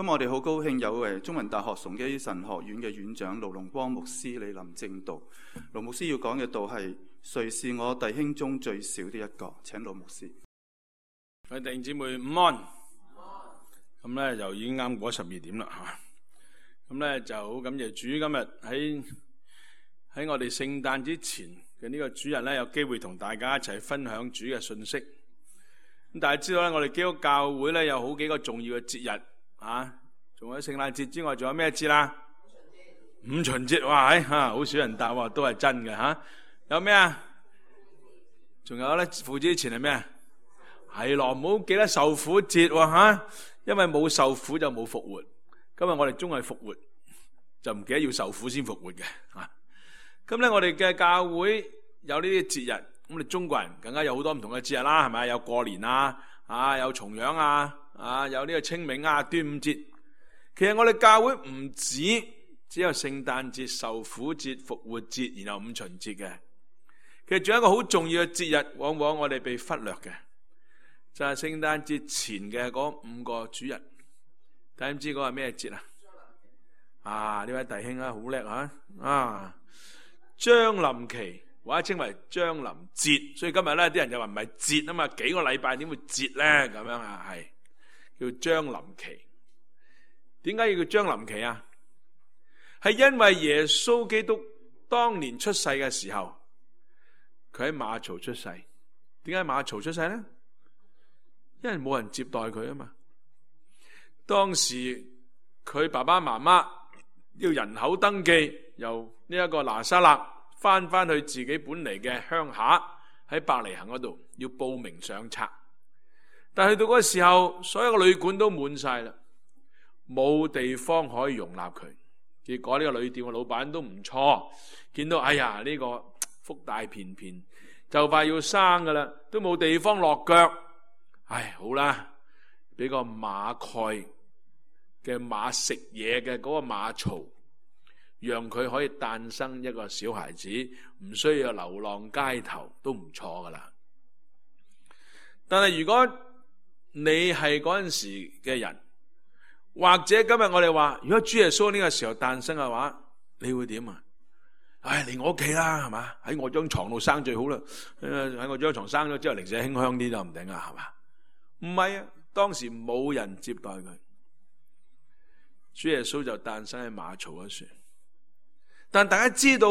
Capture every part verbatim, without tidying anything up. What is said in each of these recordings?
今日我哋好高興有誒中文大學崇基神學院嘅院長盧龍光牧師嚟臨證道。盧牧師要講嘅道係誰是我弟兄中最小的一個？請盧牧師。各位弟兄姊妹午安。咁咧就已經啱過十二點啦嚇。咁咧就好感謝主，今日喺喺我哋聖誕之前嘅呢個主日咧，有機會同大家一齊分享主嘅信息。咁大家知道咧，我哋基督教會咧有好幾個重要嘅節日。啊！仲有聖誕節之外，仲有咩節啦？五旬節，哇！嚇，好少人答喎，都係真嘅嚇。有咩啊？仲有咧，父子前係咩啊？係咯，唔好記得受苦節喎嚇，因為冇受苦就冇復活。今日我哋終係復活，就唔記得要受苦先復活嘅嚇。咁咧，我哋嘅教會有呢啲節日，咁我哋中國人更加有好多唔同嘅節日啦，係咪？有過年啊，啊，有重陽啊。啊！有呢個清明啊、端午節，其實我哋教會唔止只有聖誕節、受苦節、復活節，然後五旬節嘅。其實仲有一個好重要嘅節日，往往我哋被忽略嘅，就係聖誕節前嘅嗰五個主日。大家唔知嗰個係咩節啊？啊！呢位弟兄啊，好叻啊！啊！將臨期或者稱為將臨節，所以今日咧啲人就話唔係節啊嘛，幾個禮拜點會節咧？咁樣啊，係。叫將臨期，點解要叫將臨期啊？係因為耶穌基督當年出世嘅時候，佢喺馬槽出世。點解馬槽出世呢？因為冇人接待佢啊嘛。當時佢爸爸媽媽要人口登記，由呢一個拿撒勒翻翻去自己本嚟嘅鄉下，喺伯利恆嗰度要報名上冊。但係去到嗰個時候，所有嘅旅館都滿晒啦，冇地方可以容納佢。結果呢個旅店嘅老闆都唔錯，見到哎呀呢個福大便便，就快要生噶啦，都冇地方落腳。唉，好啦，俾個馬蓋嘅馬食嘢嘅嗰個馬槽，讓佢可以誕生一個小孩子，唔需要流浪街頭，都唔錯噶啦。但係如果你係嗰陣時嘅人，或者今日我哋話，如果主耶穌呢個時候誕生嘅話，你會點啊？唉，嚟我屋企啦，係嘛？喺我張床度生最好啦。喺我張床生咗之後，零舍馨香啲就唔定啦，係嘛？唔係啊，當時冇人接待佢，主耶穌就誕生喺馬槽嗰處。但大家知道，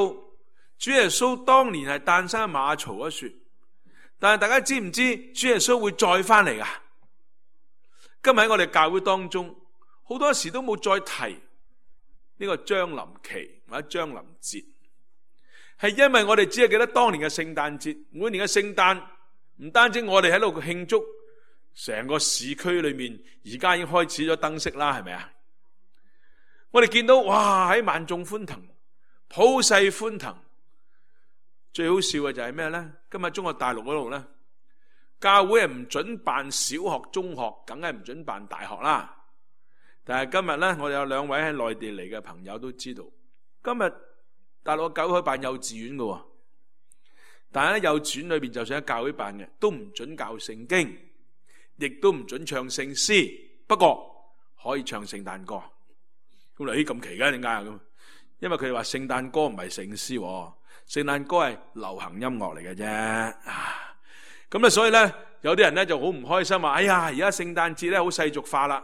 主耶穌當年係誕生喺馬槽嗰處，但係大家知唔知主耶穌會再翻嚟噶？今日喺我哋教會當中，好多時都冇再提呢個將臨期或者將臨節，係因為我哋只係記得當年嘅聖誕節。每年嘅聖誕唔單止我哋喺度慶祝，成個市區裏面而家已經開始咗燈飾啦，係咪啊？我哋見到哇，喺萬眾歡騰，普世歡騰。最好笑嘅就係咩呢？今日中國大陸嗰度呢，教會係唔准辦小學、中學，梗係唔准辦大學啦。但係今日咧，我哋有兩位喺內地嚟嘅朋友都知道，今日大陸嘅教會可以辦幼稚園嘅，但係咧幼稚園裏邊就算喺教會辦嘅，都唔准教聖經，亦都唔准唱聖詩，不過可以唱聖誕歌。咁你咦咁奇嘅點解啊？咁因為佢哋話聖誕歌唔係聖詩，聖誕歌係流行音樂嚟嘅啫。啊咁啊，所以咧，有啲人咧就好唔開心話：哎呀，而家聖誕節咧好世俗化啦，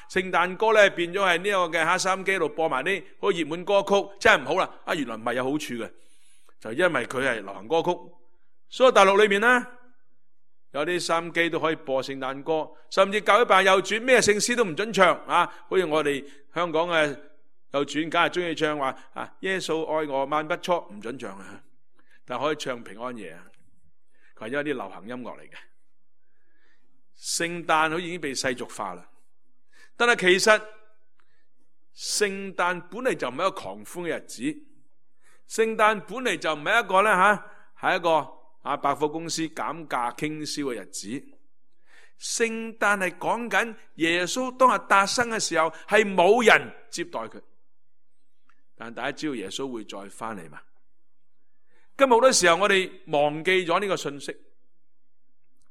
吓聖誕歌咧變咗係呢個嘅喺收音機度播埋啲好熱門歌曲，真係唔好啦！啊，原來唔係有好處嘅，就因為佢係流行歌曲。所以大陸裏面咧，有啲收音機都可以播聖誕歌，甚至教會辦幼稚園咩聖詩都唔准唱啊！好似我哋香港嘅幼稚園，梗係中意唱話啊，耶穌愛我萬不錯，唔准唱啊，但係可以唱平安夜啊。係因為啲流行音樂嚟嘅，聖誕好似已經被世俗化啦。但係其實聖誕本嚟就唔係一個狂歡嘅日子，聖誕本嚟就唔係一個咧吓，係一個啊百貨公司減價傾銷嘅日子。聖誕係講緊耶穌當日誕生嘅時候，係冇人接待佢。但大家知道耶穌會再翻嚟嘛？今日好多時候我哋忘記咗呢個信息，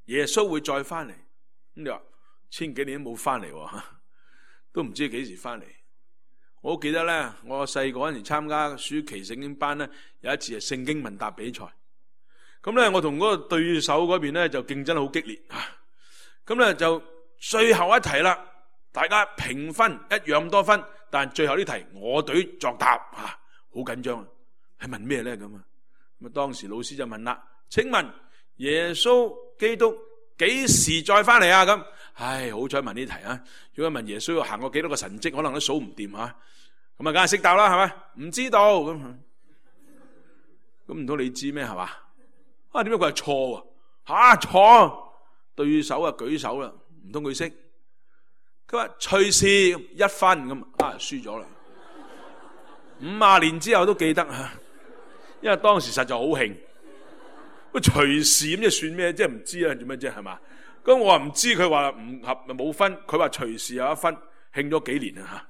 耶穌會再翻嚟。咁你話千幾年都冇翻嚟，都唔知幾時翻嚟。我好記得咧，我細個嗰陣時參加暑期聖經班咧，有一次係聖經問答比賽。咁咧，我同嗰個對手嗰邊咧就競爭好激烈啊！咁咧就最後一題啦，大家平分一樣咁多分，但係最後呢題我隊作答啊，好緊張啊！係問咩咧咁啊？咁啊，當時老師就問啦：請問耶穌基督幾時再翻嚟啊？咁，唉，好彩問呢題啊！如果問耶穌行過幾多個神蹟，可能都數唔掂吓。咁啊，梗係識答啦，係咪？唔知道咁，咁唔通你知咩？係嘛？啊，點解佢係錯啊？吓，錯！對手啊舉手啦，唔通佢識？佢話隨時一分咁啊，輸咗啦。五十年之後都記得吓，因為當時實在好興。佢隨時咁即係算咩？即係唔知啊，做咩啫？係嘛？咁我話唔知，佢話唔合咪冇分，佢話隨時有一分，興咗幾年啊吓。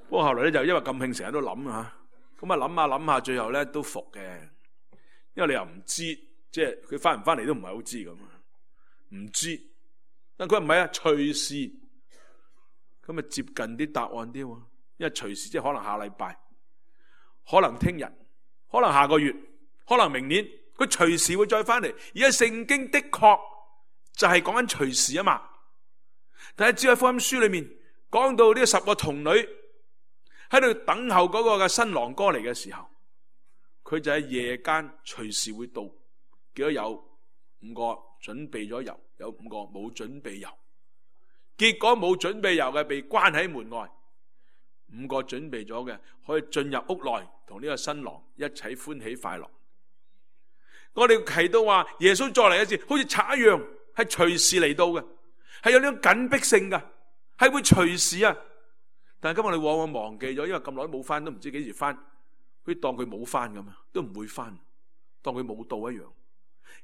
不過後來咧就因為咁興，成日都諗吓，咁啊諗下諗下，最後咧都服嘅，因為你又唔知，即係佢翻唔翻嚟都唔係好知咁。唔知，但佢唔係啊，隨時咁啊接近啲答案啲，因為隨時即係可能下禮拜，可能聽日，可能下個月，可能明年，佢隨時會再翻嚟。而家聖經的確就係講緊隨時啊嘛。但係只喺福音書裏面講到呢十個童女喺度等候嗰個嘅新郎哥嚟嘅時候，佢就喺夜間隨時會到，結果有五個準備咗油，有五個冇準備油，結果冇準備油嘅被關喺門外，五個準備咗嘅可以進入屋內同呢個新郎一齊歡喜快樂。我哋提到話耶穌再嚟一次，好似賊一樣，係隨時嚟到嘅，係有呢種緊迫性嘅，係會隨時啊！但係今日我哋往往忘記咗，因為咁耐都冇翻，都唔知幾時翻，好似當佢冇翻咁啊，都唔會翻，當佢冇到一樣。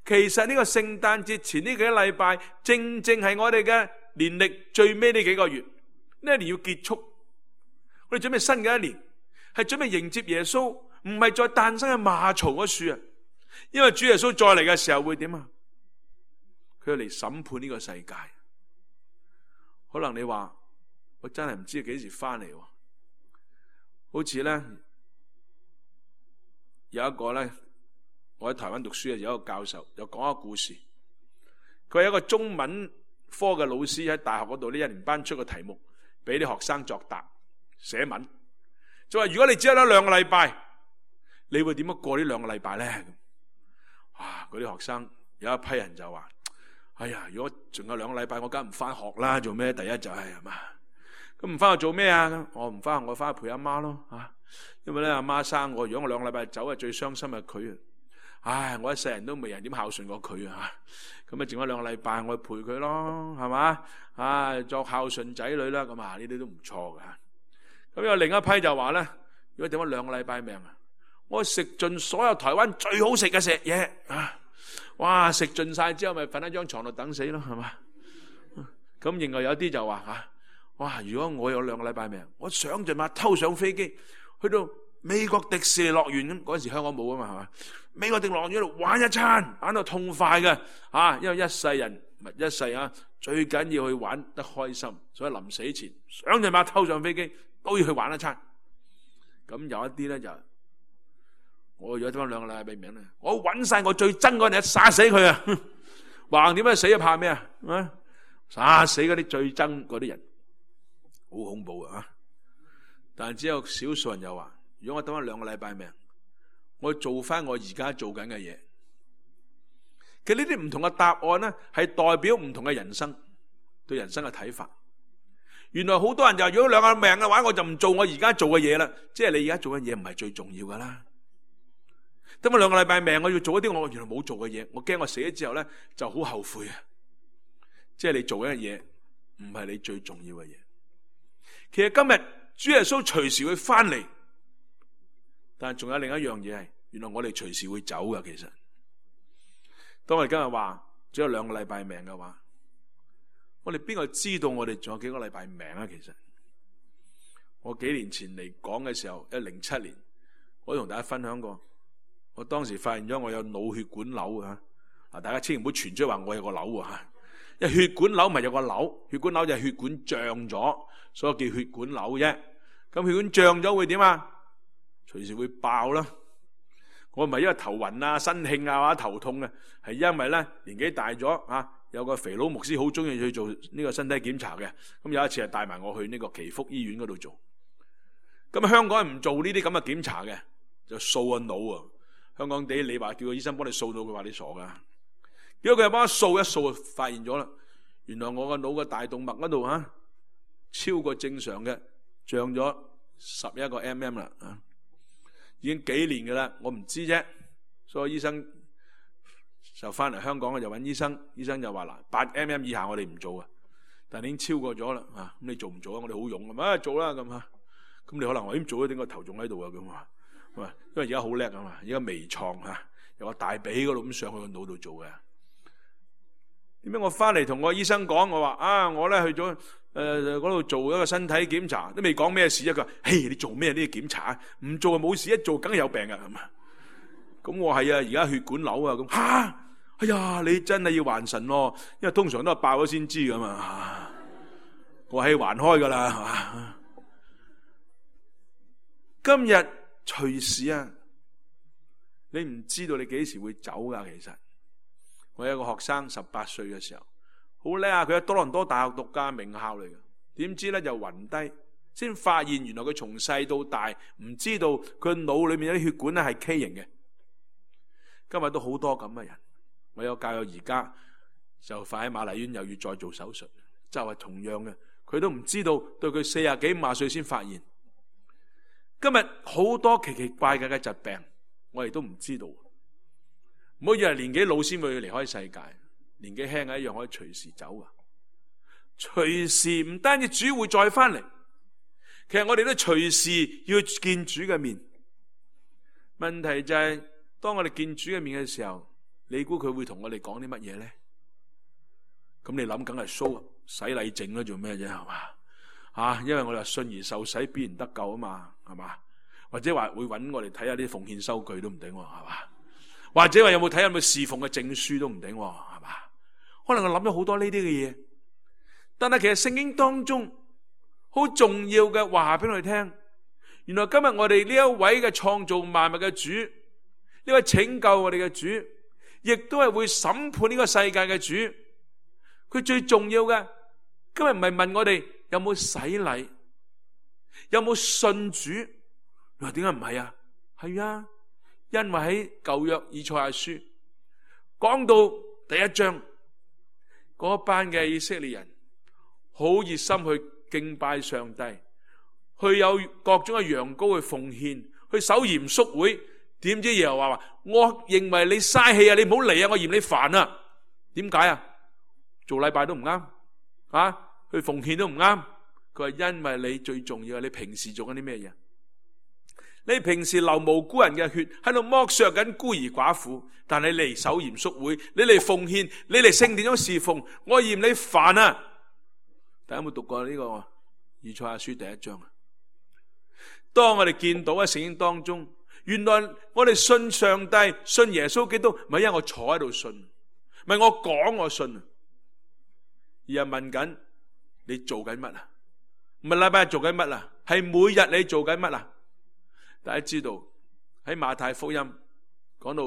其實呢個聖誕節前呢幾個禮拜，正正係我哋嘅年曆最尾呢幾個月，呢一年要結束，我哋準備新嘅一年，係準備迎接耶穌，唔係再誕生喺馬槽嗰樹啊！因為主耶穌再嚟嘅時候會點啊？佢要嚟審判呢個世界。可能你話我真係唔知幾時翻嚟，好似咧有一個咧。我喺台灣讀書嘅有一個教授又講一個故事，佢係一個中文科嘅老師，喺大學嗰度呢一年班出個題目俾啲學生作答寫文，就話如果你只有得兩個禮拜，你會點樣過呢兩個禮拜咧？哇！嗰啲學生有一批人就話：哎呀，如果仲有兩個禮拜，我梗唔翻學啦，做咩？第一就係係嘛，咁唔翻學做咩啊？我唔翻學，我翻去陪阿媽咯吓，因為咧阿媽生我，如果我兩個禮拜走，係最傷心係佢啊。唉，我一世人都未人點孝順過佢啊！咁啊，剩翻兩個禮拜，我去陪佢咯，係嘛？啊，作孝順仔女啦，咁啊，呢啲都唔錯噶。咁有另一批就話咧，如果點翻兩個禮拜命啊，我食盡所有台灣最好食嘅食嘢啊！哇，食盡晒之後，咪瞓喺張床度等死咯，係嘛？咁另外有啲就話吓，哇！如果我有兩個禮拜命，我想盡辦法偷上飛機去到美國迪士尼樂園咁，嗰陣時香港冇啊嘛，係嘛？美國迪士尼樂園度玩一餐，玩到痛快嘅啊！因為一世人唔係一世啊，最緊要去玩得開心，所以臨死前想盡辦法偷上飛機都要去玩一餐。咁有一啲咧就，我如果得翻兩個禮拜命咧，我揾晒我最憎嗰人殺死佢啊！橫掂啊死啊怕咩啊？啊殺死嗰啲最憎嗰啲人，好恐怖啊！但係只有少數人又話，如果我得翻兩個禮拜命，我做翻我而家做緊嘅嘢。其實呢啲唔同嘅答案咧，係代表唔同嘅人生對人生嘅睇法。原來好多人就話，如果兩個命嘅話，我就唔做我而家做嘅嘢啦。即係你而家做嘅嘢唔係最重要噶啦。得翻兩個禮拜命，我要做一啲我原來冇做嘅嘢，我驚我死咗之後咧就好後悔啊！即係你做緊嘅嘢唔係你最重要嘅嘢。其實今日主耶穌隨時會翻嚟。但係仲有另一樣嘢係，原來我哋隨時會走噶。其實，當我哋今日話只有兩個禮拜命嘅話，我哋邊個知道我哋仲有幾個禮拜命啊？其實，我幾年前嚟講嘅時候，一零七年，我同大家分享過，我當時發現咗我有腦血管瘤啊！嗱，大家千祈唔好傳出話我有個瘤啊！因為血管瘤咪有個瘤，血管瘤就係血管脹咗，所以叫血管瘤啫。咁血管脹咗會點啊？隨時會爆啦。我唔係因為頭暈啊、身興啊或者頭痛啊，係因為咧年紀大咗啊，有個肥佬牧師好中意去做呢個身體檢查嘅。咁有一次係帶埋我去呢個祈福醫院嗰度做。咁香港人唔做呢啲咁嘅檢查嘅，就掃個腦啊。香港地你話叫個醫生幫你掃到，佢話你傻噶。如果佢又幫我掃一掃，就發現咗啦，原來我個腦嘅大動脈嗰度吓超過正常嘅，脹咗十一個 mm 啦，啊，已經幾年㗎啦，我唔知啫。所以醫生就翻嚟香港就揾醫生，醫生就話嗱，八 mm 以下我哋唔做啊，但係已經超過咗啦，啊，咁你做唔做啊？我哋好勇咁啊，做啦咁啊，咁你可能話點做啊？點個頭仲喺度啊？咁啊，因為而家好叻啊嘛，而家微創吓，由個大髀嗰度咁上去個腦度做嘅。點解我翻嚟同我醫生講，我話啊，我咧去咗誒嗰度做一個身體檢查，都未講咩事啊。佢話：嘿，你做咩呢啲檢查啊？唔做就冇事，一做梗係有病噶。咁我係啊，而家血管瘤啊。咁吓，哎呀，你真係要還神咯，因為通常都係爆咗先知噶嘛。我係還開噶啦，係嘛？今日隨時啊，你唔知道你幾時會走噶，其實。我有一個學生十八歲嘅時候，好叻啊！佢喺多倫多大學讀家名校嚟嘅，點知咧就暈低，先發現原來佢從細到大唔知道佢腦裏面有啲血管咧係畸形嘅。今日都好多咁嘅人，我有教友而家就快喺瑪麗醫院又要再做手術，就係同樣嘅，佢都唔知道，到佢四十幾五十歲先發現。今日好多奇奇怪怪嘅疾病，我哋都唔知道。唔好以為年紀老先會離開世界，年紀輕嘅一樣可以隨時走啊！隨時唔單止主會再翻嚟，其實我哋都隨時要見主嘅面。問題就係、是、當我哋見主嘅面嘅時候，你估佢會同我哋講啲乜嘢咧？咁你諗梗係 show 洗禮證啦，做咩啫？係嘛啊？因為我哋話信而受洗必然得救啊嘛，係嘛？或者話會揾我哋睇下啲奉獻收據都唔定，係嘛？或者話有冇睇有冇侍奉嘅證書都唔定，係嘛？可能我諗咗好多呢啲嘅嘢，但係其實聖經當中好重要嘅話俾我哋聽，原來今日我哋呢一位嘅創造萬物嘅主，呢位拯救我哋嘅主，亦都係會審判呢個世界嘅主。佢最重要嘅，今日唔係問我哋有冇洗禮，有冇信主。你話點解唔係啊？係啊。因為喺舊約以賽亞書講到第一章，嗰班嘅以色列人好熱心去敬拜上帝，去有各種嘅羊羔去奉獻，去守嚴肅會。點知耶和華話：我認為你嘥氣啊，你唔好嚟啊，我嫌你煩啊。點解啊？做禮拜都唔啱啊，去奉獻都唔啱。佢話因為你最重要係你平時做緊啲咩嘢？你平時流無辜人嘅血，喺度剝削緊孤兒寡婦，但你嚟守嚴肅會，你嚟奉獻，你嚟聖殿中侍奉，我嫌你煩啊！大家有冇讀過呢個以賽亞書第一章啊？當我哋見到喺聖經當中，原來我哋信上帝、信耶穌基督，唔係因為我坐喺度信，唔係我講我信，而係問緊你做緊乜啊？唔係禮拜日做緊乜啊？係每日你做緊乜啊？大家知道喺馬太福音講到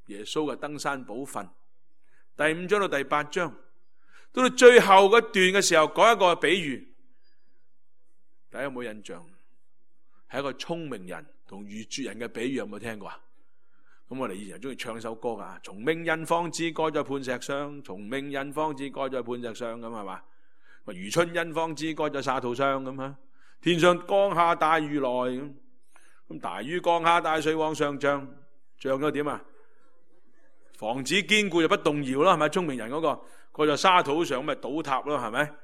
耶穌嘅登山寶訓第五章到第八章，到到最後嗰段嘅時候講一個比喻，大家有冇印象？係一個聰明人同愚拙人嘅比喻，有冇聽過啊？咁我哋以前中意唱一首歌噶，從明印方知該在磐石上，從明印方知該在磐石上，咁係嘛？如春印方知該在沙土上，咁啊，天上降下大雨來咁。咁大雨降下，大水往上漲，漲咗點啊？房子堅固就不動搖咯，係咪？聰明人嗰、那個過在沙土上，咁咪倒塌咯，係咪？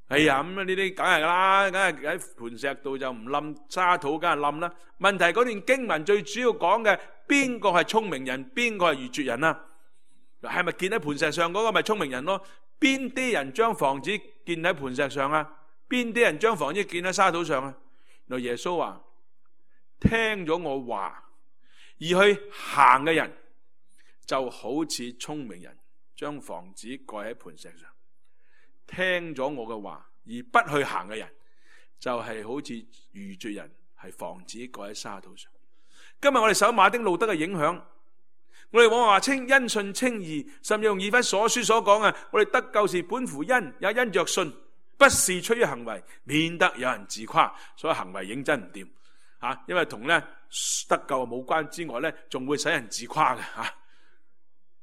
哎呀，咁呢啲梗係噶啦，梗係喺磐石度就唔冧，沙土梗係冧啦。問題嗰段經文最主要講嘅，邊個係聰明人，邊個係愚拙人啊？係咪建喺磐石上嗰個咪聰明人咯？邊啲人將房子建喺磐石上啊？邊啲人將房子建喺沙土上啊？原來耶穌話：聽咗我話而去行嘅人，就好似聰明人將房子蓋喺磐石上。聽咗我嘅話而不去行嘅人，就係、是、好似愚拙人係房子蓋喺沙土上。今日我哋受馬丁路德嘅影響，我哋往往話稱因信稱義，甚至用以弗所書所講啊，我哋得救是本乎恩，也因着信，不是出於行為，免得有人自誇。所以行為認真唔掂啊，因為同咧得救冇關之外咧，仲會使人自誇嘅吓。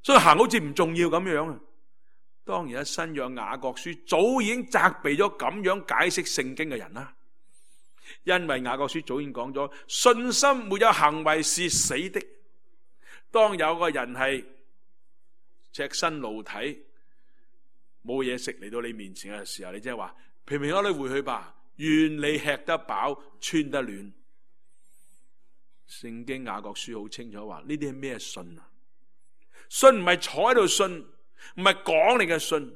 所以行好似唔重要咁樣啊。當然喺新約雅各書早已經責備咗咁樣解釋聖經嘅人啦。因為雅各書早已經講咗，信心沒有行為是死的。當有個人係赤身露體冇嘢食嚟到你面前嘅時候，你即係話平平安安回去吧，願你吃得飽穿得暖。聖經雅各書好清楚話呢啲係咩信啊？信唔係坐喺度信，唔係講你嘅信，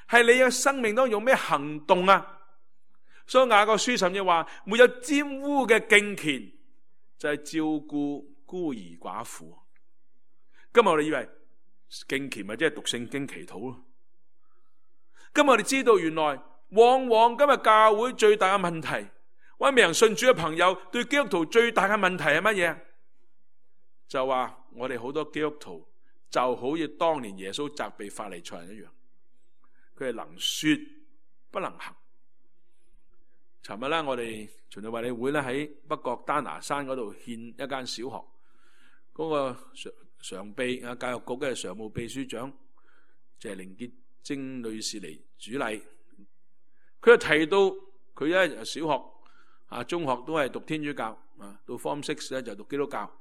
係你嘅生命當中用咩行動啊？所以雅各書甚至話沒有沾污嘅敬虔，就係、是、照顧孤兒寡婦。今日我哋以為敬虔咪即係讀聖經祈禱咯。今日我哋知道原來往往今日教會最大嘅問題，或者未人信主嘅朋友對基督徒最大嘅問題係乜嘢？就話我哋好多基督徒就好似當年耶穌責備法利賽人一樣，佢係能說不能行。尋日咧，我哋循道衛理會咧喺北角丹拿山嗰度獻一間小學，嗰、那個常常秘啊教育局嘅常務秘書長謝靈潔貞女士嚟主禮。佢就提到佢咧小學啊、中學都係讀天主教啊，到 Form Six 咧就讀基督教。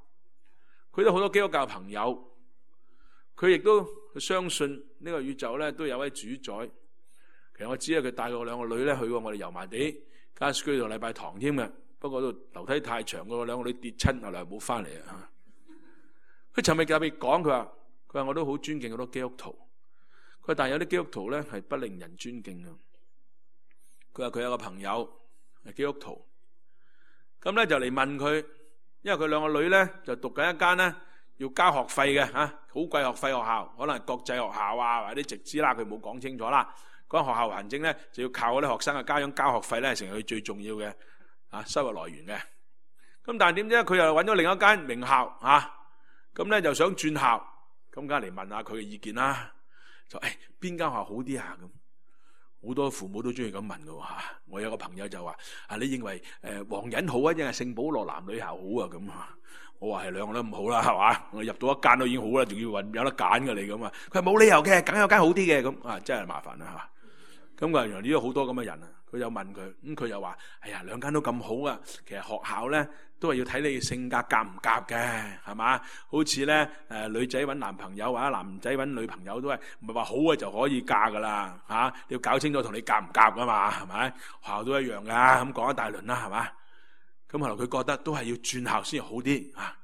佢都好多基督教朋友，佢亦都相信呢個宇宙咧都有位主宰。其實我知啊，佢帶過兩個女咧去過我哋油麻地加士居道禮拜堂添嘅，不過度樓梯太長，個兩個女跌親，後來冇翻嚟啊。佢尋日特別講，佢話佢話我都好尊敬好多基督徒，佢話但係有啲基督徒咧係不令人尊敬嘅。佢話佢有個朋友係基督徒，咁咧就嚟問佢，因為佢兩個女咧就讀緊一間咧要交學費嘅吓，好貴學費學校，可能係國際學校啊或者直資啦，佢冇講清楚啦。嗰間學校行政咧就要靠嗰啲學生嘅家長交學費咧，成為佢最重要嘅啊收入來源嘅。咁但係點知佢又揾咗另一間名校啊，咁咧就想轉校，咁梗係嚟問下佢嘅意見啦。就誒邊間學校好啲啊？咁好多父母都中意咁問㗎吓。我有個朋友就話啊，你認為誒皇仁好啊，定係聖保羅男女校好啊？咁啊，我話係兩個都唔好啦，係嘛？我入到一間都已經好啦，仲要揾有得揀㗎你咁啊？佢話冇理由嘅，梗有間好啲嘅咁啊，真係麻煩啦吓。咁啊，原來呢度好多咁嘅人啊，佢又問佢，咁佢又話：哎呀，兩間都咁好啊！其實學校咧都係要睇你性格夾唔夾嘅，係嘛？好似咧誒女仔揾男朋友或者男仔揾女朋友都係唔係話好啊就可以嫁噶啦嚇？你要搞清楚同你夾唔夾噶嘛，係咪？學校都一樣噶，咁講一大輪啦，係嘛？咁後來佢覺得都係要轉校先好啲嚇。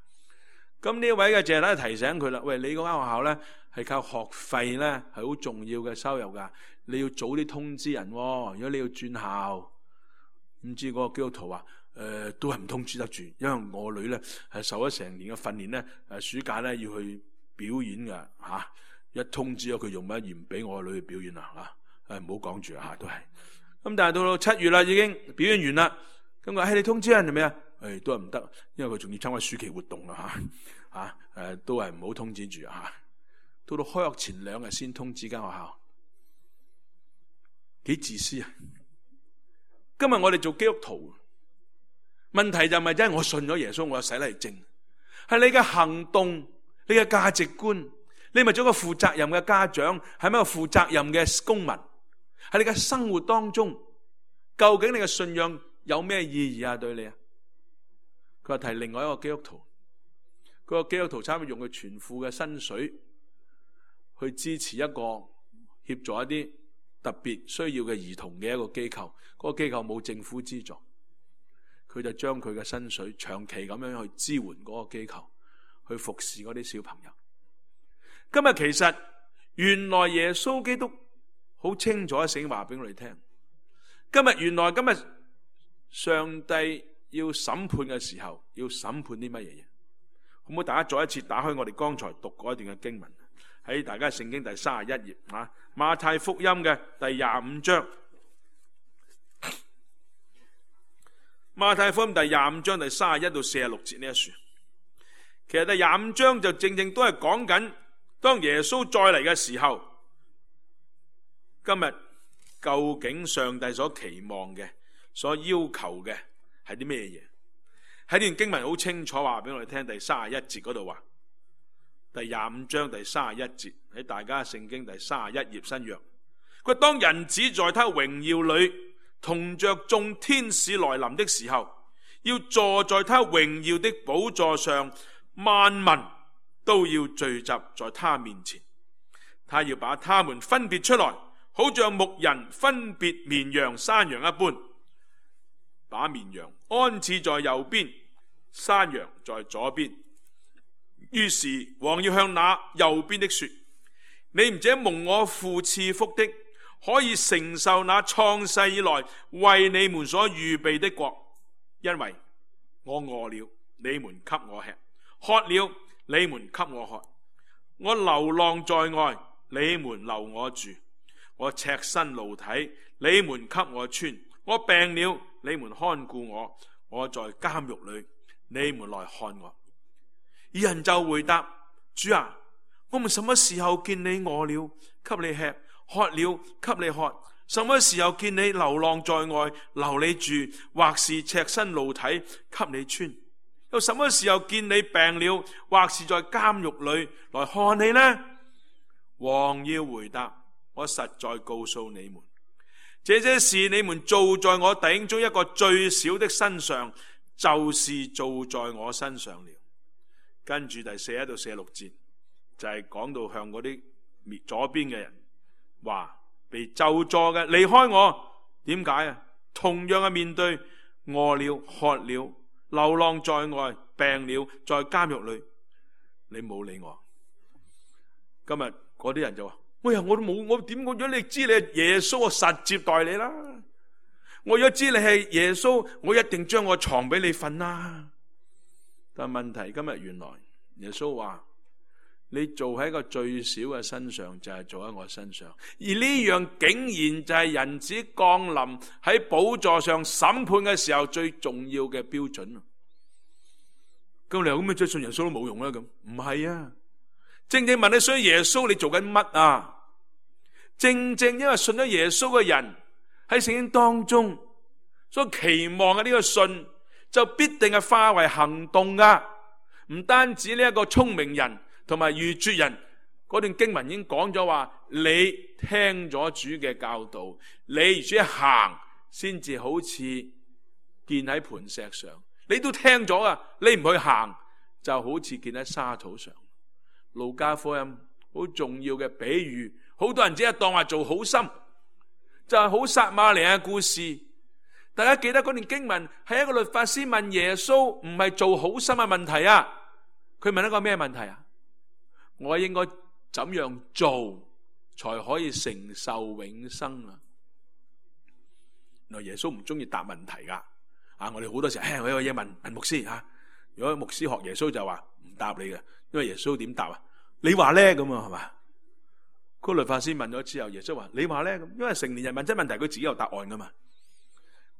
咁呢位嘅謝拉提醒佢啦，喂，你嗰間學校咧係靠學費咧係好重要嘅收入㗎。你要早啲通知人喎，如果你要轉校，唔知嗰個基督徒話誒、呃、都係唔通知得住，因為我女咧係受咗成年嘅訓練咧，誒暑假咧要去表演㗎嚇、啊，一通知咗佢用乜而唔俾我女去表演啦嚇，誒唔好講住嚇都係。咁但係到到七月啦，已經表演完啦，咁佢話你通知人係咪啊？誒都係唔得，因為佢仲要參加暑期活動啊嚇，嚇誒都係唔好通知住嚇，到到開學前兩日先通知間學校。幾自私啊！今日我哋做基督徒，問題就唔係真係我信咗耶穌，我有洗禮證，係你嘅行動、你嘅價值觀，你咪做個負責任嘅家長，係咪一個負責任嘅公民？喺你嘅生活當中，究竟你嘅信仰有咩意義啊？對你啊？佢話提另外一個基督徒，嗰個基督徒差唔多用佢全副嘅薪水去支持一個協助一啲特別需要嘅兒童嘅一個機構，嗰個機構冇政府資助，佢就將佢嘅薪水長期咁樣去支援嗰個機構，去服侍嗰啲小朋友。今日其實原來耶穌基督好清楚聖經話俾我哋聽，今日原來今日上帝要審判嘅時候，要審判啲乜嘢嘢？好唔好？大家再一次打開我哋剛才讀過一段嘅經文，喺大家聖經第三十一頁啊，馬太福音嘅第廿五章。馬太福音第廿五章第三十一到四十六節呢一書，其實第廿五章就正正都係講緊當耶穌再嚟嘅時候，今日究竟上帝所期望嘅、所要求嘅係啲咩嘢？喺呢段經文好清楚話俾我哋聽，第三十一節嗰度話，第廿五章第三十一節喺大家聖經第三十一頁新約，佢話當人子在他榮耀裏同着眾天使來臨的時候，要坐在他榮耀的寶座上，萬民都要聚集在他面前。他要把他們分別出來，好像牧人分別綿羊山羊一般，把綿羊安置在右邊，山羊在左邊。於是王要向那右邊的說：你們這蒙我父賜福的，可以承受那創世以來為你們所預備的國，因為我餓了，你們給我吃；渴了，你們給我喝；我流浪在外，你們留我住；我赤身露體，你們給我穿；我病了，你們看顧我；我在監獄裏，你們來看我。二人就回答：主啊，我們什麼時候見你餓了，給你吃；渴了，給你喝；什麼時候見你流浪在外，留你住，或是赤身露體，給你穿；又什麼時候見你病了，或是在監獄裏來看你呢？王要回答：我實在告訴你們，這些事你們做在我弟兄中一個最小的身上，就是做在我身上了。跟住第四一到四十六節就係、是、講到向嗰啲左邊嘅人話，被咒詛嘅離開我。點解啊？同樣嘅面對餓了、渴了、流浪在外、病了、在監獄裏，你冇理我。今日嗰啲人就話：哎呀，我都冇，我點講咗？你知你係耶穌，我實接待你啦。我如果知你係耶穌，我一定將我床俾你瞓啦。但問題今日原來耶穌話：你做喺一個最小嘅身上，就係做喺我身上。而呢樣竟然就係人子降臨喺寶座上審判嘅時候最重要嘅標準。咁你話咁樣再信耶穌都冇用啦？咁唔係啊！正正問你信耶穌，你做緊乜啊？正正因為信咗耶穌嘅人喺聖經當中所期望嘅呢個信，就必定係化為行動噶。唔單止呢一個聰明人同埋愚拙人，嗰段經文已經講咗話，你聽咗主嘅教導，你而且行，先至好似建喺磐石上。你都聽咗啊，你唔去行，就好似建喺沙土上。路加福音好重要嘅比喻，好多人只係當話做好心，就係好撒瑪利亞嘅故事。大家記得嗰段經文係一個律法師問耶穌，唔係做好心嘅問題啊。佢問一個咩問題啊？我應該怎樣做才可以承受永生啊？原來耶穌唔中意答問題噶。啊，我哋好多時候，唉，我有嘢問問牧師啊。如果牧師學耶穌就話唔答你嘅，因為耶穌點答啊？你話咧咁啊，係嘛？嗰個律法師問咗之後，耶穌話你話咧咁，因為成年人問真問題，佢自己有答案噶嘛。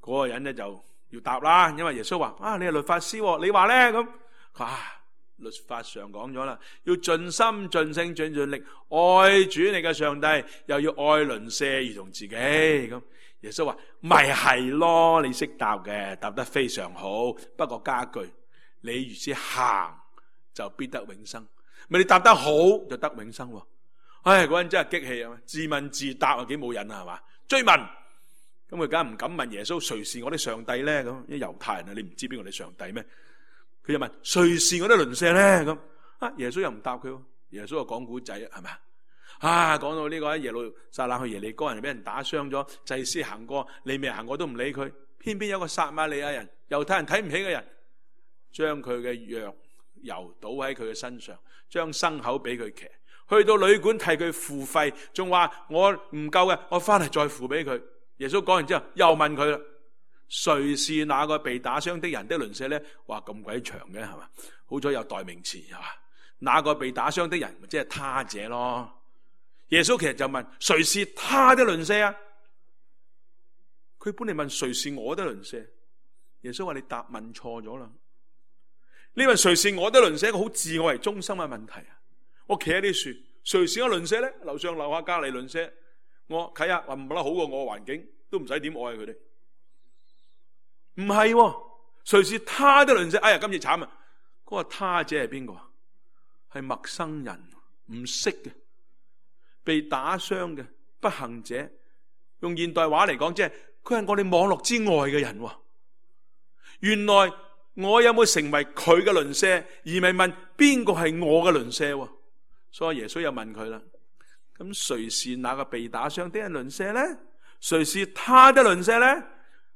嗰、那個人咧就要答啦，因為耶穌話啊，你係律法師，你話咧咁。啊，律法上講咗啦，要盡心盡性盡盡力愛主你嘅上帝，又要愛鄰舍如同自己咁。耶穌話咪係咯，你識答嘅，答得非常好。不過加句，你如此行就必得永生。咪你答得好就得永生。唉，嗰人真係激氣啊！自問自答啊，幾冇癮啊，係嘛？追問。咁佢梗係唔敢問耶穌誰是我的上帝咧？咁啲猶太人啊，你唔知邊個係上帝咩？佢就問誰是我的鄰舍咧？咁啊，耶穌又唔答佢。耶穌就講古仔啊，係咪啊？講到呢個喺耶路撒冷去耶利哥人俾人打傷咗，祭司行過，利未人行過都唔理佢。偏偏有個撒瑪利亞人，猶太人睇唔起嘅人，將佢嘅藥油倒喺佢嘅身上，將牲口俾佢騎，去到旅館替佢付費，仲話我唔夠嘅，我翻嚟再付俾佢。耶穌講完之後又問佢啦，誰是那個被打傷的人的鄰舍咧？哇，咁鬼長嘅係嘛？好彩有代名詞係嘛？那個被打傷的人，即係他者咯。耶穌其實就問：誰是他的鄰舍啊？佢本嚟問誰是我的鄰舍，耶穌話你答問錯咗啦。你問誰是我的鄰舍，一個好自我為中心嘅問題啊！我企喺呢樹，誰是我鄰舍咧？樓上樓下隔籬鄰舍，我睇下話唔得好過我嘅環境，都唔使點愛佢哋。唔係，誰是他的鄰舍？哎呀，今次慘啊！嗰個他者係邊個？係陌生人，唔識嘅，被打傷嘅不幸者。用現代話嚟講，即係佢係我哋網絡之外嘅人。原來我有冇成為佢嘅鄰舍，而唔係問邊個係我嘅鄰舍？所以耶穌又問佢啦：咁誰是那個被打傷的人鄰舍呢？誰是他的鄰舍呢？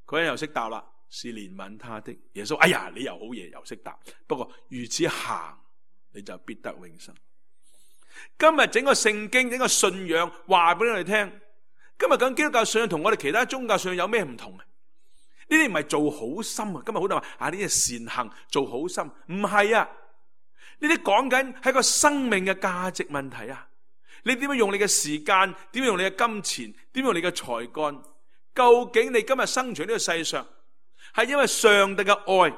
佢又識答啦，是憐憫他的。耶穌：哎呀，你又好嘢，又識答。不過如此行，你就必得永生。今日整個聖經，整個信仰話俾你哋聽，今日講基督教信仰同我哋其他宗教信仰有咩唔同啊？呢啲唔係做好心啊！今日好多人話啊，呢啲善行做好心，唔係啊！呢啲講緊係個生命嘅價值問題啊！你點樣用你嘅時間？點樣用你嘅金錢？點樣用你嘅才幹？究竟你今日生存呢個世上，係因為上帝嘅愛？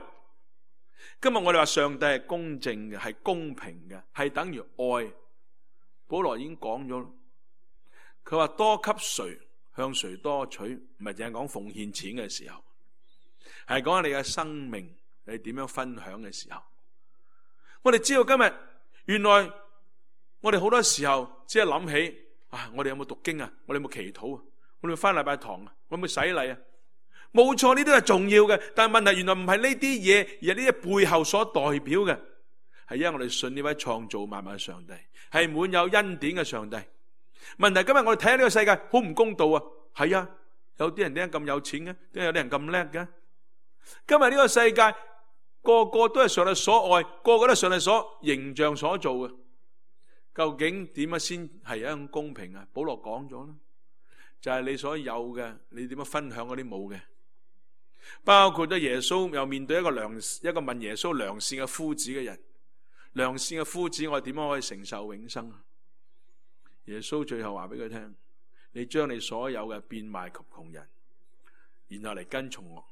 今日我哋話上帝係公正嘅，係公平嘅，係等於愛。保羅已經講咗，佢話多給誰，向誰多取，唔係淨係講奉獻錢嘅時候，係講你嘅生命，你點樣分享嘅時候。我哋知道今日原來我哋好多時候只係諗起啊，我哋有冇讀經啊？我哋有冇祈禱啊？我哋有冇返禮拜堂啊？我哋有冇洗禮啊？冇錯，呢啲係重要嘅，但係問題原來唔係呢啲嘢，而係呢啲背後所代表嘅，係因為我哋信呢位創造萬物嘅上帝，係滿有恩典嘅上帝。問題今日我哋睇下呢個世界好唔公道啊！係啊，有啲人點解咁有錢嘅？點解有啲人咁叻嘅？今日呢個世界個個都係上帝所愛，個個都係上帝所形象所做嘅。究竟點樣先係一種公平啊？保羅講咗啦，就係你所有嘅，你點樣分享嗰啲冇嘅？包括咗耶穌又面對一個良一個問耶穌良善嘅夫子嘅人，良善嘅夫子我哋點樣可以承受永生啊？耶穌最後話俾佢聽：你將你所有嘅變賣給窮人，然後嚟跟從我。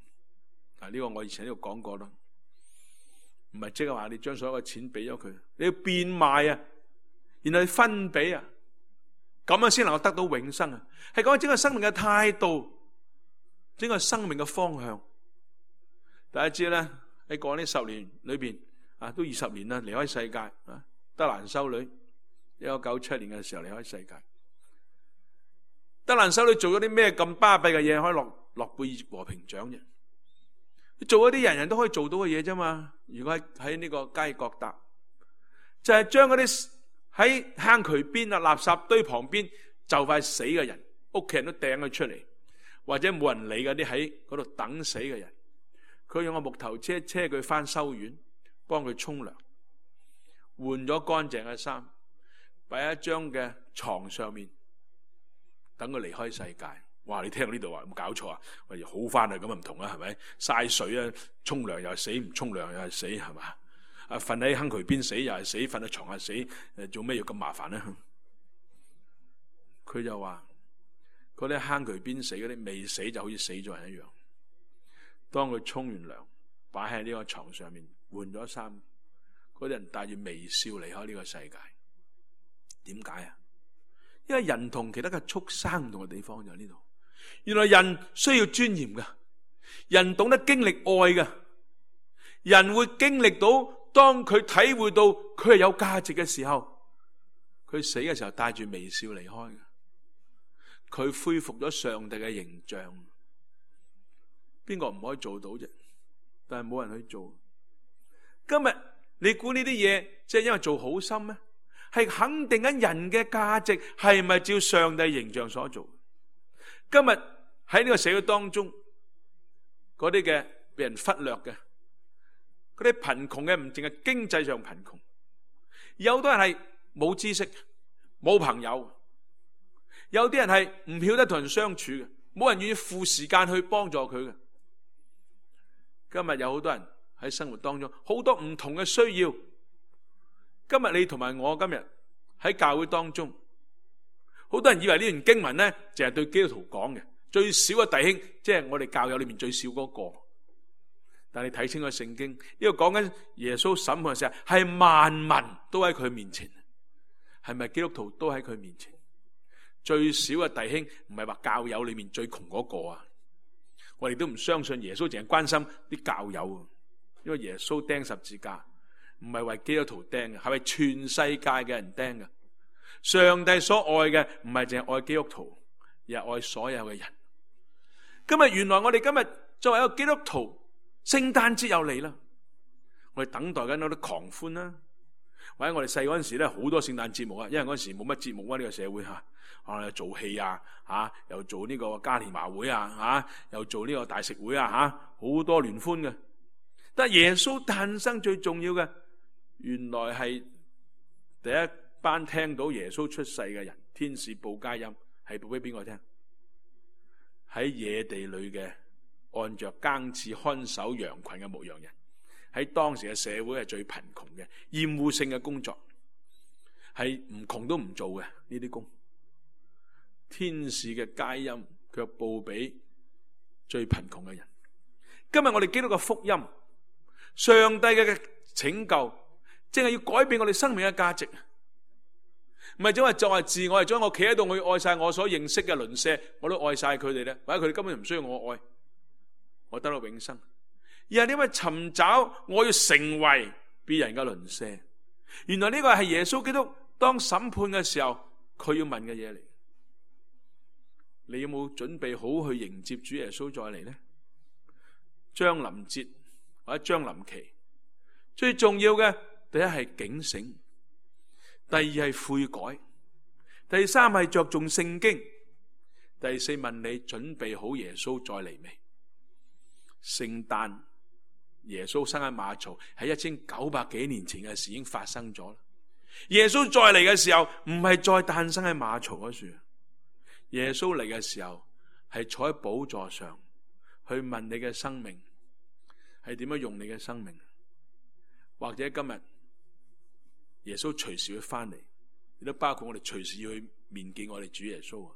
嗱，呢個我以前喺度講過啦，唔係即係話你將所有嘅錢俾咗佢，你要變賣啊，然後你分俾啊，咁樣先能夠得到永生啊！係講整個生命嘅態度，整個生命嘅方向。大家知咧，喺過呢十年裏邊啊，都二十年啦，離開世界啊，德蘭修女一九九七年嘅時候離開世界。德蘭修女做咗啲咩咁巴閉嘅嘢，可以落諾貝爾和平獎啫？做一啲人人都可以做到嘅嘢啫嘛。如果喺喺呢個加爾各答，就係將嗰啲喺坑渠邊啊、垃圾堆旁邊就快死嘅人，屋企人都掟佢出嚟，或者冇人理嗰啲喺嗰度等死嘅人，佢用個木頭車車佢翻修院，幫佢沖涼，換咗乾淨嘅衫，擺喺一張嘅床上面，等佢離開世界。哇！你聽到呢度話有冇搞錯啊？喂，好翻啊，咁啊唔同啦，係咪？嘥水啊，沖涼又係死，唔沖涼又係死，係嘛？啊，瞓喺坑渠邊死又係死，瞓喺床下死，誒，做咩要咁麻煩咧？佢就話嗰啲坑渠邊死嗰啲未死就好似死咗人一樣。當佢沖完涼，擺喺呢個床上面，換咗衫，嗰啲人帶住微笑離開呢個世界。點解啊？因為人同其他嘅畜生唔同嘅地方就喺呢度。原來人需要尊嚴㗎，人懂得經歷愛㗎，人會經歷到當佢體會到佢係有價值嘅時候，佢死嘅時候帶住微笑離開嘅，佢恢復咗上帝嘅形象。邊個唔可以做到啫？但係冇人去做。今日你估呢啲嘢即係因為做好心咩？係肯定緊人嘅價值係咪照上帝形象所做？今日喺呢個社會當中，嗰啲嘅被人忽略嘅，嗰啲貧窮嘅唔淨係經濟上貧窮，有好多人係冇知識、冇朋友，有啲人係唔曉得同人相處嘅，冇人願意付時間去幫助佢嘅。今日有好多人喺生活當中好多唔同嘅需要，今日你同埋我今日喺教會當中，好多人以為呢段經文呢，淨係對基督徒講嘅，最少嘅弟兄，即係我哋教友裏面最少嗰個。但係你睇清楚聖經，呢個講緊耶穌審判嘅時候，係萬民都喺佢面前，係咪基督徒都喺佢面前？最少嘅弟兄唔係話教友裏面最窮嗰個啊！我哋都唔相信耶穌淨係關心啲教友，因為耶穌釘十字架唔係為基督徒釘嘅，係為全世界嘅人釘嘅。上帝所愛嘅唔係淨係愛基督徒，而係愛所有嘅人。今日原來我哋今日作為一個基督徒，聖誕節又嚟啦，我哋等待緊嗰啲狂歡啦。或者我哋細嗰陣時咧，好多聖誕節目啊，因為嗰陣時冇乜節目啊，呢個社會吓，啊做戲啊，吓又做呢個嘉年華會啊，吓又做呢個大食會啊，吓好多聯歡嘅。但係耶穌誕生最重要嘅，原來係第一班聽到耶穌出世嘅人，天使報佳音，係報俾邊個聽？喺野地裏嘅，按着更次看守羊群嘅牧羊人。喺當時嘅社會係最貧窮嘅，厭惡性嘅工作，係唔窮都唔做嘅呢啲工。天使嘅佳音卻報俾最貧窮嘅人。今日我哋基督嘅福音，上帝嘅拯救，正係要改變我哋生命嘅價值。唔係只係作為自我，係將我企喺度，我要愛晒我所認識嘅鄰舍，我都愛晒佢哋咧，或者佢哋根本唔需要我愛，我得到永生。而係因為尋找我要成為別人嘅鄰舍，原來呢個係耶穌基督當審判嘅時候佢要問嘅嘢嚟。你有冇準備好去迎接主耶穌再嚟呢？將臨節或者將臨期，最重要嘅第一係警醒，第二係悔改，第三係着重聖經，第四問你準備好耶穌再嚟未？聖誕耶穌生喺馬槽，喺一千九百幾年前嘅事已經發生咗啦。耶穌再嚟嘅時候，唔係再誕生喺馬槽嗰處，耶穌嚟嘅時候係坐喺寶座上，去問你嘅生命係點樣用你嘅生命，或者今日耶穌隨時會翻嚟，亦都包括我哋隨時要去面見我哋主耶穌。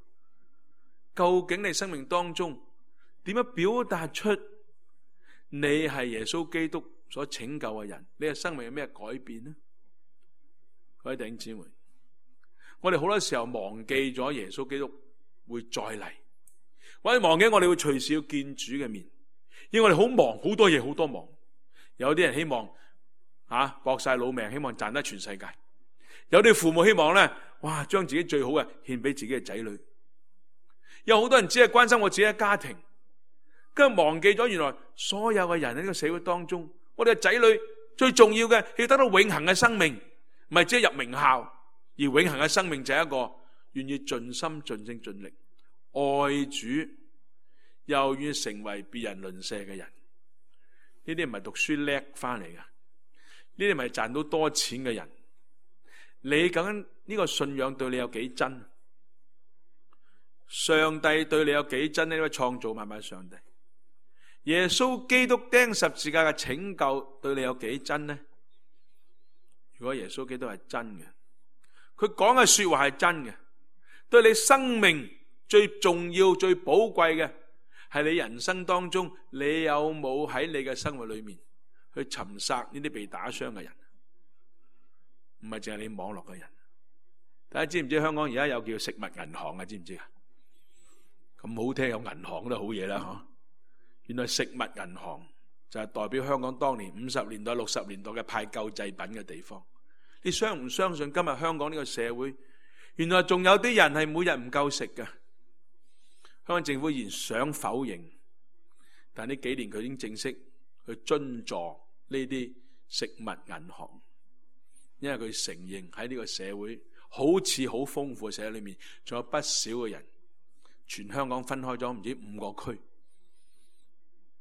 究竟你生命當中點樣表達出你係耶穌基督所拯救嘅人？你嘅生命有咩改變呢？各位弟兄姊妹，我哋好多時候忘記咗耶穌基督會再嚟，或者忘記我哋會隨時要見主嘅面，因為我哋好忙，好多嘢，好多忙。有啲人希望啊搏晒老命，希望賺得全世界；有啲父母希望咧，哇將自己最好嘅獻俾自己嘅仔女。有好多人只係關心我自己嘅家庭，跟住忘記咗原來所有嘅人喺呢個社會當中，我哋嘅仔女最重要嘅係得到永恆嘅生命，唔係只係入名校，而永恆嘅生命就係一個願意盡心盡性盡力愛主，又願意成為別人鄰舍嘅人。呢啲唔係讀書叻翻嚟嘅，呢啲唔係賺到多錢嘅人。你究竟呢個信仰對你有幾真？上帝對你有幾真呢？呢位創造萬物嘅上帝，耶穌基督釘十字架嘅拯救對你有幾真呢？如果耶穌基督係真嘅，佢講嘅說話係真嘅，對你生命最重要最寶貴嘅係你人生當中，你有冇喺你嘅生活裏面去尋殺呢啲被打傷嘅人？唔係淨係你網絡嘅人。大家知唔知香港而家有叫食物銀行啊？知唔知啊？咁好聽，有銀行都好嘢啦，嗬！原來食物銀行就係代表香港當年五十年代、六十年代嘅派救濟品嘅地方。你相唔相信今日香港呢個社會，原來仲有啲人係每日唔夠食㗎？香港政府依然想否認，但呢幾年佢已經正式去津助呢啲食物銀行，因為佢承認喺呢個社會好似好豐富嘅社會裏面，仲有不少嘅人。全香港分開咗唔止五個區，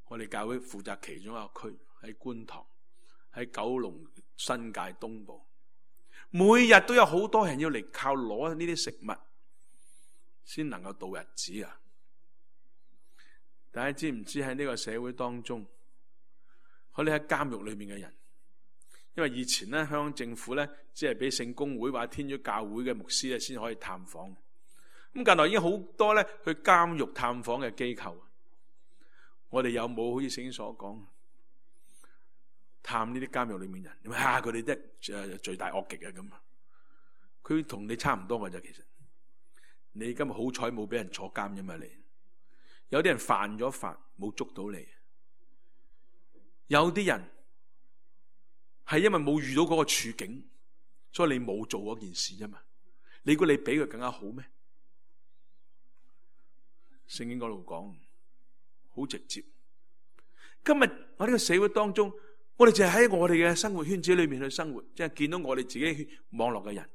我哋教會負責其中一個區，喺觀塘，喺九龍新界東部，每日都有好多人要嚟靠攞呢啲食物先能夠度日子啊！大家知唔知喺呢個社會當中，我哋喺監獄裏面嘅人，因為以前咧，香港政府咧只係俾聖公會或者天主教會嘅牧師咧先可以探訪。咁近來已經好多咧去監獄探訪嘅機構。我哋有冇好似聖經所講，探呢啲監獄裏面人？你話啊，佢哋啲誒罪大惡極啊咁啊！佢同你差唔多㗎咋，其實你今日好彩冇俾人坐監啫嘛，你有啲人犯咗法冇捉到你，有啲人係因為冇遇到嗰個處境，所以你冇做嗰件事啫嘛。你估你比佢更加好咩？聖經嗰度講好直接。今日我呢個社會當中，我哋就係喺我哋嘅生活圈子裏面去生活，即係見到我哋自己網絡嘅人。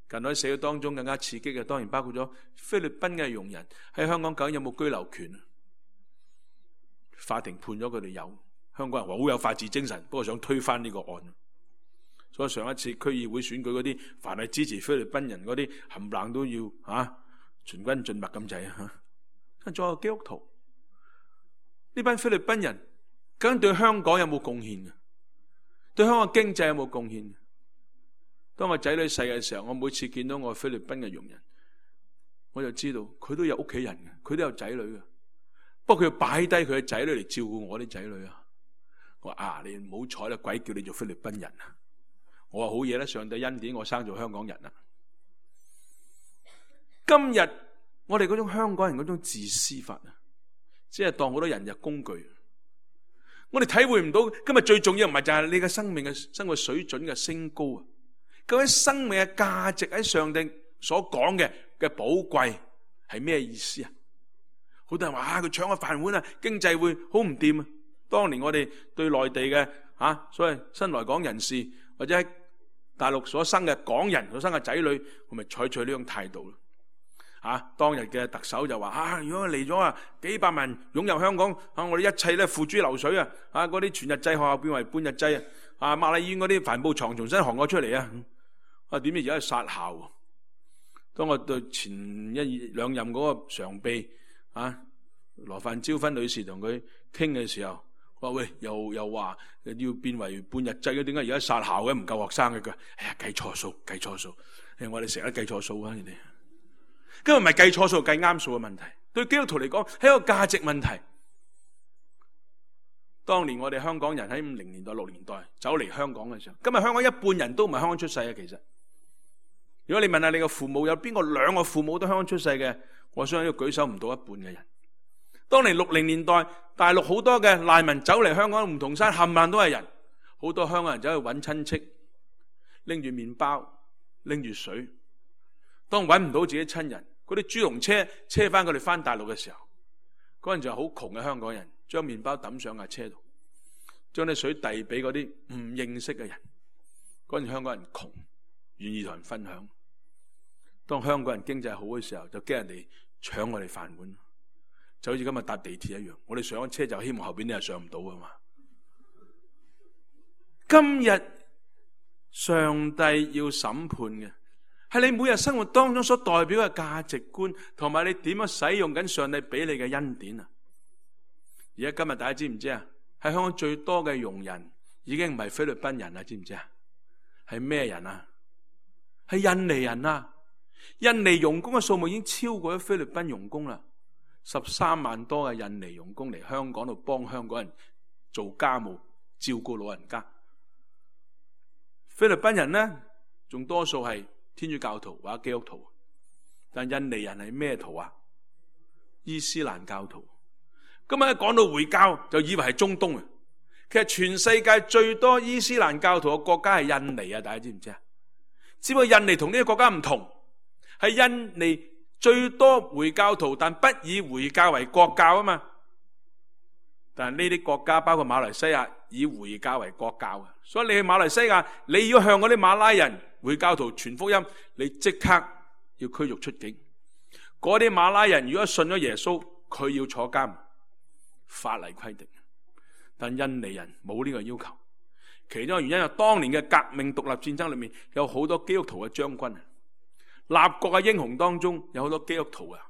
近來社會當中更加刺激嘅，當然包括咗菲律賓嘅傭人喺香港究竟有冇居留權啊？法庭判咗佢哋有，香港人話好有法治精神，不過想推翻呢個案。所以上一次區議會選舉嗰啲，凡係支持菲律賓人嗰啲，冚唪唥都要啊全軍盡墨咁滯啊！仲有基督徒，呢班菲律賓人究竟對香港有冇貢獻啊？對香港經濟有冇貢獻？當我仔女細嘅時候，我每次見到我菲律賓嘅傭人，我就知道佢都有屋企人嘅，佢都有仔女嘅。不過佢要擺低佢嘅仔女嚟照顧我啲仔女啊！我話啊，你唔好彩啦，鬼叫你做菲律賓人啊！我話好嘢啦，上帝恩典我生做香港人啊！今日我哋嗰種香港人嗰種自私法啊，即係當好多人入工具。我哋體會唔到今日最重要唔係就係你嘅生命嘅生活水準嘅升高啊！究竟生命嘅價值喺上帝所講嘅嘅寶貴係咩意思啊？好多人話啊，佢搶個飯碗啊，經濟會好唔掂啊！當年我哋對內地嘅啊，所謂新來港人士或者喺大陸所生嘅港人所生嘅仔女，我咪採取呢種態度咯。啊，當日嘅特首就話啊，如果嚟咗啊幾百萬湧入香港啊，我哋一切咧付諸流水啊！啊，嗰啲全日制學校變為半日制啊！啊，瑪麗醫院嗰啲帆布床重新航過出嚟啊！啊，點知而家係殺校？當我對前一兩任嗰個常秘啊羅范椒芬女士同佢傾嘅時候，我話喂，又又話要變為半日制嘅，點解而家殺校嘅唔夠學生嘅？佢話哎呀，計錯數，計錯數！誒，我哋成日計錯數啊！你哋今日唔係計錯數，計啱數嘅問題。對基督徒嚟講，係一個價值問題。當年我哋香港人喺五零年代、六年代走嚟香港嘅時候，今日香港一半人都唔係香港出世嘅。其實，如果你問下你嘅父母，有邊個兩個父母都香港出世嘅，我相信要舉手唔到一半嘅人。當年六零年代，大陸好多嘅難民走嚟香港，梧桐山冚唪唥都係人，好多香港人走去揾親戚，拎住麵包，拎住水。當揾唔到自己親人，嗰啲豬籠車車翻佢哋翻大陸嘅時候，嗰陣就係好窮嘅香港人，將麵包抌上架車度，將啲水遞俾嗰啲唔認識嘅人。嗰陣香港人窮，願意同人分享。當香港人經濟好嘅時候，就驚人哋搶我哋飯碗，就好似今日搭地鐵一樣。我哋上咗車就希望後邊啲人上唔到啊嘛。今日上帝要審判嘅係你每日生活當中所代表嘅價值觀，同埋你點樣使用緊上帝俾你嘅恩典啊！而家今日大家知唔知啊？喺香港最多嘅傭人已經唔係菲律賓人啦，知唔知啊？係咩人啊？係印尼人啊！印尼傭工嘅數目已經超過咗菲律賓傭工啦，十三萬多嘅印尼傭工嚟香港度幫香港人做家務、照顧老人家。菲律賓人呢，仲多數係天主教徒或者基督徒，但印尼人係咩徒啊？伊斯蘭教徒。今日一講到回教，就以為係中東啊！其實全世界最多伊斯蘭教徒嘅國家係印尼啊！大家知唔知啊？只不過印尼同呢個國家唔同，係印尼最多回教徒，但不以回教為國教啊嘛。但係呢啲國家包括馬來西亞，以回教為國教啊。所以你去馬來西亞，你要向嗰啲馬拉人回教徒傳福音，你即刻要驅逐出境。嗰啲馬拉人如果信咗耶穌，佢要坐監，法例規定。但印尼人冇呢個要求，其中嘅原因係當年嘅革命獨立戰爭裏面有好多基督徒嘅將軍，立國嘅英雄當中有好多基督徒啊，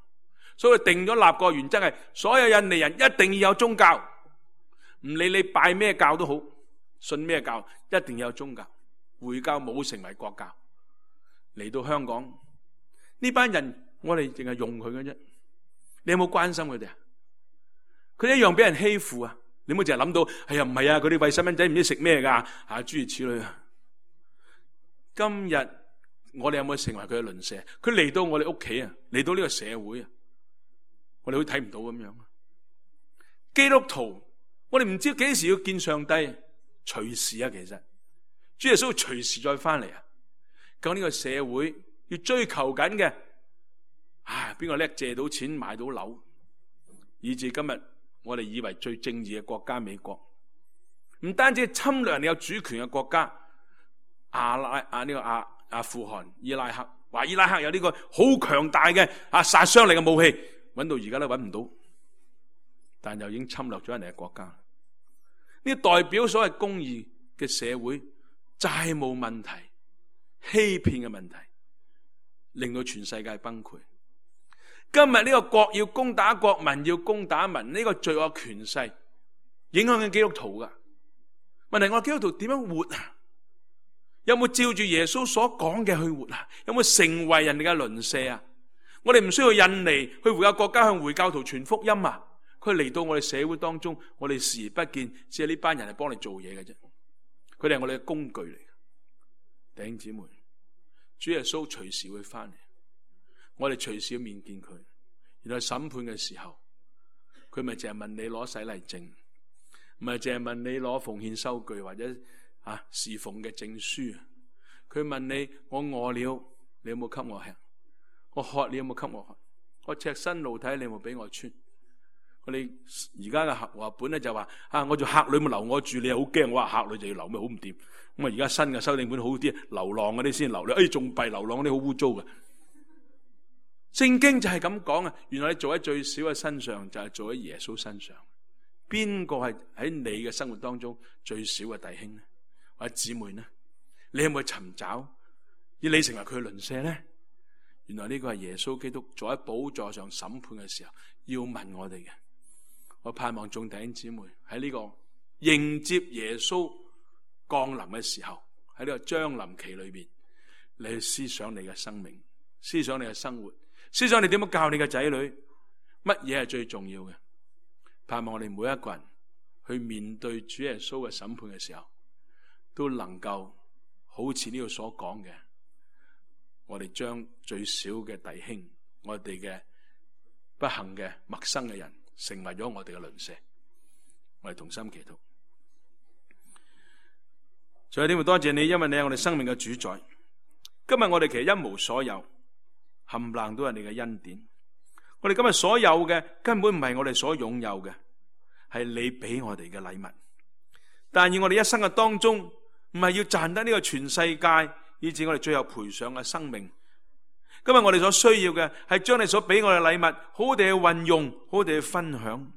所以定咗立國原則係所有印尼人一定要有宗教，唔理你拜咩教都好，信咩教？一定有宗教。回教冇成為國教，嚟到香港呢班人，我哋淨係用佢嘅啫。你有冇關心佢哋啊？佢哋一樣俾人欺負啊！你唔好淨係諗到，哎呀唔係啊，佢哋餵細蚊仔唔知食咩噶，啊諸如此類啊。今日我哋有冇成為佢嘅鄰舍？佢嚟到我哋屋企啊，嚟到呢個社會啊，我哋好睇唔到咁樣。基督徒，我哋唔知幾時要見上帝，隨時啊，其實主耶穌會隨時再翻嚟啊。咁呢個社會要追求緊嘅，唉，邊個叻借到錢買到樓，以至今日我哋以為最正義嘅國家美國，唔單止侵略你有主權嘅國家，阿拉啊呢個阿阿富汗、伊拉克，話伊拉克有呢個好強大嘅啊殺傷力嘅武器，揾到而家都揾唔到，但又已經侵略咗人哋嘅國家。呢代表所謂公義嘅社會，債務問題、欺騙嘅問題，令到全世界崩潰。今日呢個國要攻打國，民要攻打民，呢、這個罪惡權勢影響緊基督徒噶。問題我基督徒點樣活啊？有冇照住耶穌所講嘅去活啊？有冇成為人哋嘅鄰舍啊？我哋唔需要印尼去回教國家向回教徒傳福音啊！佢嚟到我哋社會當中，我哋視而不見，只係呢班人係幫你做嘢嘅啫。佢哋係我哋嘅工具嚟嘅。弟兄姊妹，主耶穌隨時會翻嚟。我哋隨時要面見佢，原來審判嘅時候，佢咪淨係問你攞洗禮證，唔係淨係問你攞奉獻收據或者啊侍奉嘅證書。佢問你：我餓了，你有冇給我吃？我渴，你有冇給我喝？我赤身露體，你有冇俾我穿？我哋而家嘅和合本咧就話啊，我做客旅冇留我住，你又好驚。我話客旅就要留咩？好唔掂。咁啊，而家新嘅修訂本好啲，流浪嗰啲先留你。哎，仲弊，流浪嗰啲好污糟嘅。聖經就係咁講啊！原來你做喺最少嘅身上，就係做喺耶穌身上。邊個係喺你嘅生活當中最少嘅弟兄呢？或者姊妹呢？你有冇去尋找，以你成為佢嘅鄰舍呢？原來呢個係耶穌基督坐喺寶座上審判嘅時候要問我哋嘅。我盼望眾弟兄姊妹喺呢個迎接耶穌降臨嘅時候，喺呢個將臨期裏邊，你去思想你嘅生命，思想你嘅生活。思想你點樣教你嘅仔女，乜嘢係最重要嘅？盼望我哋每一個人去面對主耶穌嘅審判嘅時候，都能夠好似呢度所講嘅，我哋將最少嘅弟兄，我哋嘅不幸嘅陌生嘅人，成為咗我哋嘅鄰舍。我哋同心祈禱。最後點會多謝你，因為你係我哋生命嘅主宰。今日我哋其實一無所有。冚唪唥都係你嘅恩典，我哋今日所有嘅根本唔係我哋所擁有嘅，係你俾我哋嘅禮物。但願我哋一生嘅當中，唔係要賺得呢個全世界，以至我哋最後賠上嘅生命。今日我哋所需要嘅係將你所俾我哋嘅禮物，好好地去運用，好好地去分享，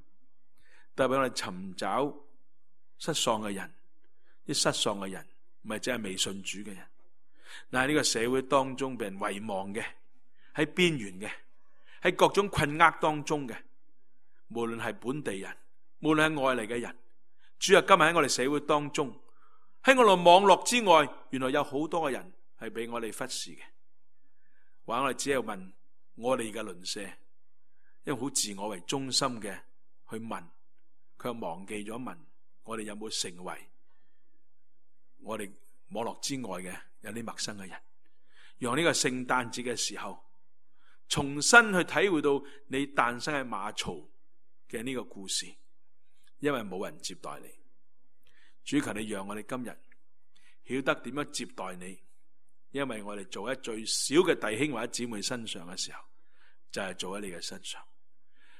特別我哋尋找失喪嘅人，啲失喪嘅人唔係淨係未信主嘅人，但係呢個社會當中被人遺忘嘅。喺邊緣嘅，喺各種困厄當中嘅，無論係本地人，無論係外嚟嘅人，主啊，今日喺我哋社會當中，喺我哋網絡之外，原來有好多嘅人係俾我哋忽視嘅。話我哋只係問我哋嘅鄰舍，因為好自我為中心嘅去問，卻忘記咗問我哋有冇成為我哋網絡之外嘅有啲陌生嘅人。讓呢個聖誕節嘅時候，重新去體會到你誕生喺馬槽嘅呢個故事，因為冇人接待你。主求你讓我哋今日曉得點樣接待你，因為我哋做喺最少嘅弟兄或者姊妹身上嘅時候，就係做喺你嘅身上。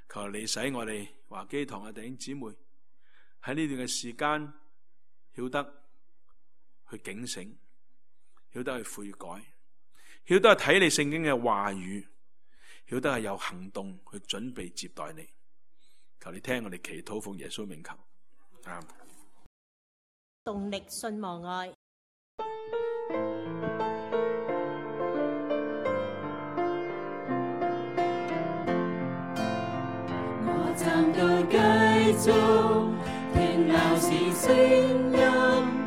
求你使我哋華基堂嘅弟兄姊妹喺呢段嘅時間曉得去警醒，曉得去悔改，曉得去睇你聖經嘅話語，曉得係有行動去準備接待你。求你聽我哋祈禱，奉耶穌名求。阿們。動力信望愛。我站到繼續聽鬧市聲音。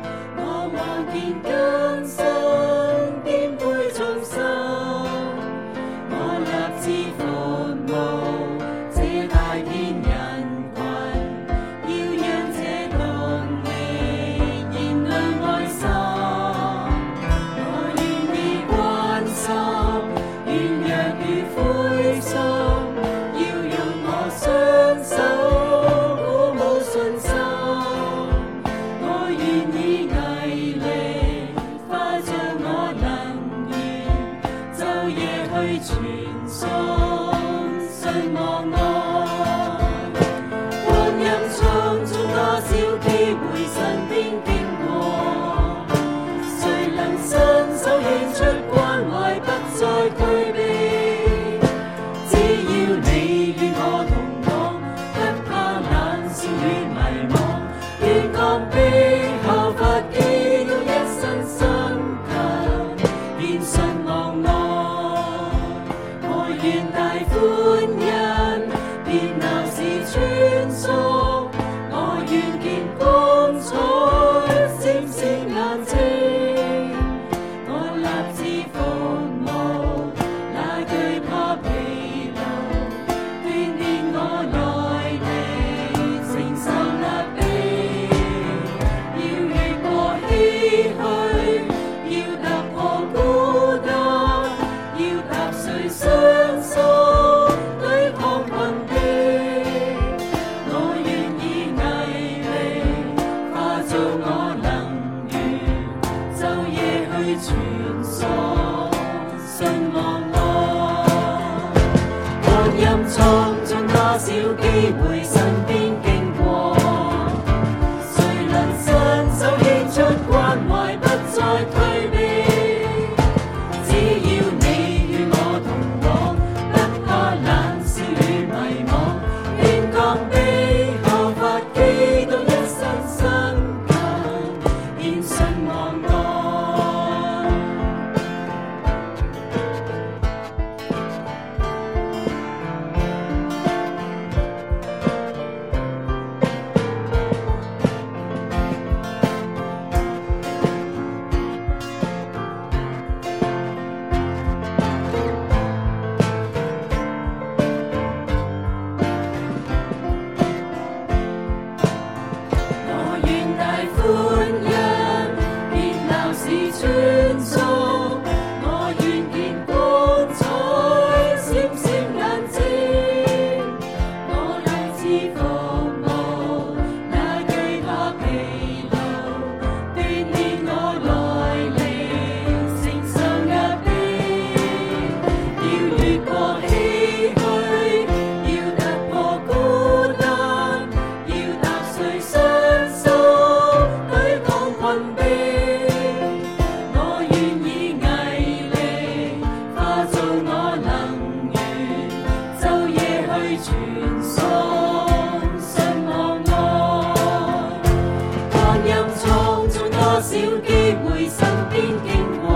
少機會身邊經過，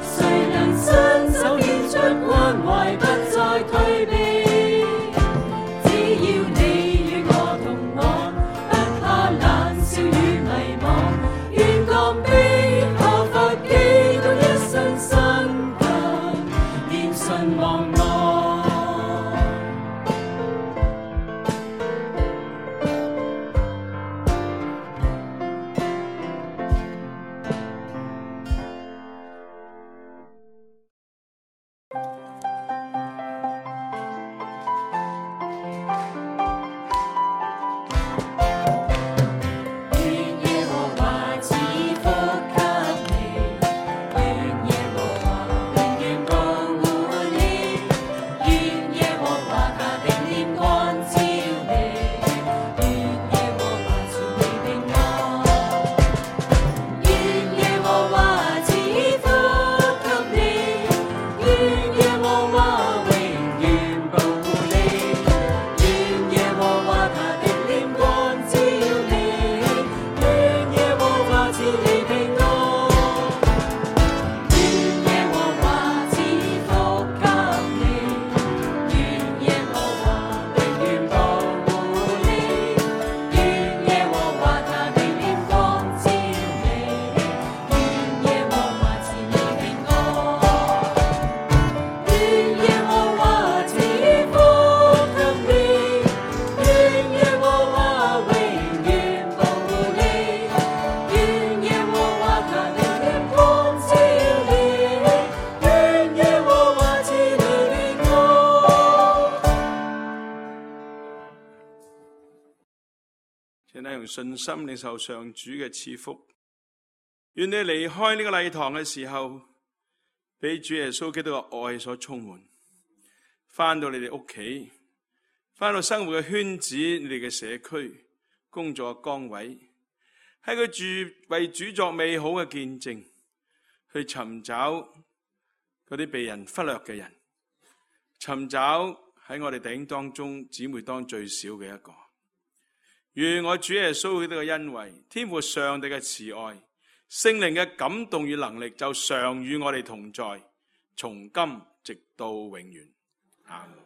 誰能伸手獻出關懷，不再退避？只要你與我同往，不怕冷笑與迷惘，願降卑效法基督一生身強，連順望我。信心領受上主嘅賜福，願你離開呢個禮堂嘅時候，俾主耶穌基督嘅愛所充滿，翻到你哋屋企，翻到生活嘅圈子，你哋嘅社區、工作嘅崗位，喺佢住為主作美好嘅見證，去尋找嗰啲被人忽略嘅人，尋找喺我哋弟兄當中姊妹當最少嘅一個。願我主耶穌基督嘅恩惠、天父上帝嘅慈愛、聖靈嘅感動與能力，就常與我哋同在，從今直到永遠。阿們。